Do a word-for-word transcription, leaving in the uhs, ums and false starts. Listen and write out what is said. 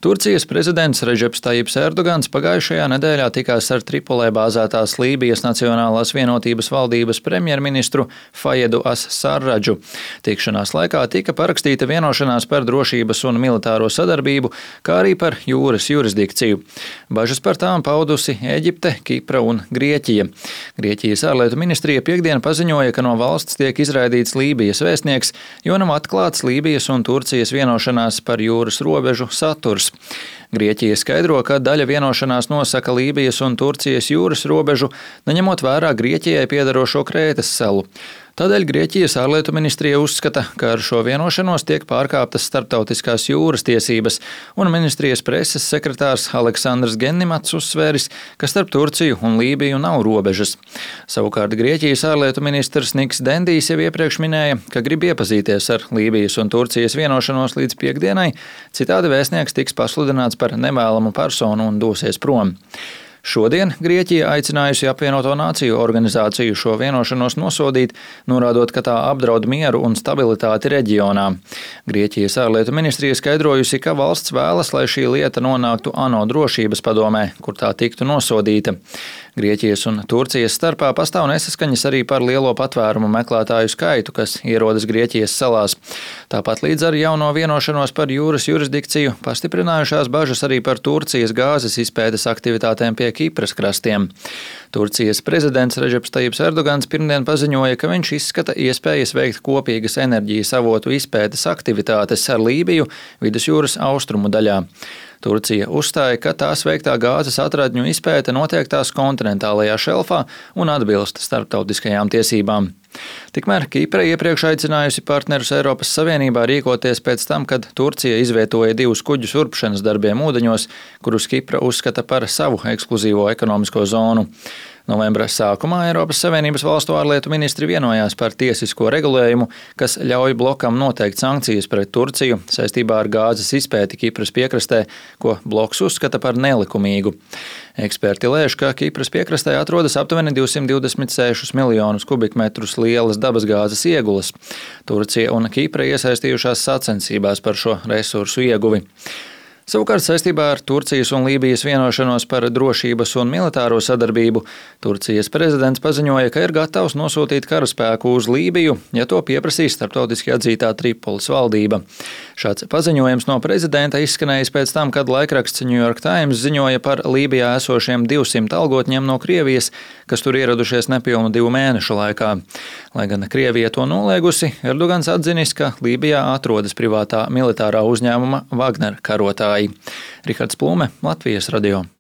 Turcijas prezidents Redžeps Tajips Erdogans pagājušajā nedēļā tikās ar Tripolē bāzētās Lībijas Nacionālās vienotības valdības premjerministru Fajedu as-Sarradžu. Tikšanās laikā tika parakstīta vienošanās par drošības un militāro sadarbību, kā arī par jūras jurisdikciju. Bažas par tām paudusi Ēģipte, Kipra un Grieķija. Grieķijas ārlietu ministrija piekdien paziņoja, ka no valsts tiek izraidīts Lībijas vēstnieks, jo nav atklāts Lībijas un Turcijas vienošanās par jūras robežu saturs. Grieķija skaidro, ka daļa vienošanās nosaka Lībijas un Turcijas jūras robežu, neņemot vērā Grieķijai piederošo Krētas salu. Tādēļ Grieķijas ārlietu ministrija uzskata, ka ar šo vienošanos tiek pārkāptas starptautiskās jūras tiesības, un ministrijas preses sekretārs Aleksandrs Gennimats uzsvēris, ka starp Turciju un Lībiju nav robežas. Savukārt Grieķijas ārlietu ministrs Niks Dendijs jau iepriekš minēja, ka grib iepazīties ar Lībijas un Turcijas vienošanos līdz piekdienai, citādi vēstnieks tiks pasludināts par nevēlamu personu un dosies prom. Šodien Grieķija aicinājusi apvienoto nāciju organizāciju šo vienošanos nosodīt, norādot, ka tā apdraud mieru un stabilitāti reģionā. Grieķijas ārlietu ministrija skaidrojusi, ka valsts vēlas, lai šī lieta nonāktu ANO drošības padomē, kur tā tiktu nosodīta. Grieķijas un Turcijas starpā pastāv nesaskaņas arī par lielo patvērumu meklētāju skaitu, kas ierodas Grieķijas salās. Tāpat līdz ar jauno vienošanos par jūras jurisdikciju pastiprinājušās bažas arī par Turcijas gāzes izpētes aktivitātēm pie Kipras krastiem. Turcijas prezidents Redžeps Tajips Erdogans pirmdien paziņoja, ka viņš izskata iespējas veikt kopīgas enerģijas avotu izpētes aktivitātes ar Lībiju vidusjūras austrumu daļā. Turcija uzstāja, ka tās veiktā gāzes atradņu izpēte notiek tās kontinentālajā šelfā un atbilst starptautiskajām tiesībām. Tikmēr Kipra iepriekš aicinājusi partnerus Eiropas Savienībā rīkoties pēc tam, kad Turcija izvietoja divus kuģus urpšanas darbiem ūdeņos, kurus Kipra uzskata par savu ekskluzīvo ekonomisko zonu. Novembra sākumā Eiropas Savienības valstu ārlietu ministri vienojās par tiesisko regulējumu, kas ļauj blokam noteikt sankcijas pret Turciju saistībā ar gāzes izpēti Kipras piekrastē, ko bloks uzskata par nelikumīgu. Eksperti lēš, ka Kipras piekrastē atrodas aptuveni divsimt divdesmit sešus miljonus kubikmetrus lielas dabasgāzes iegulas. Turcija un Kipra iesaistījušās sacensībās par šo resursu ieguvi. Savukārt saistībā ar Turcijas un Lībijas vienošanos par drošības un militāro sadarbību Turcijas prezidents paziņoja, ka ir gatavs nosūtīt karaspēku uz Lībiju, ja to pieprasīs starptautiski atzītā Tripolis valdība. Šāds paziņojums no prezidenta izskanējis pēc tam, kad laikraksts New York Times ziņoja par Lībijā esošiem divsimt algotņiem no Krievijas, kas tur ieradušies nepilnu divu mēnešu laikā. Lai gan Krievija to noliegusi, Erdogans atzinis, ka Lībijā atrodas privātā militārā uzņēmuma Wagner karotāji. Rihards Plume, Latvijas radio.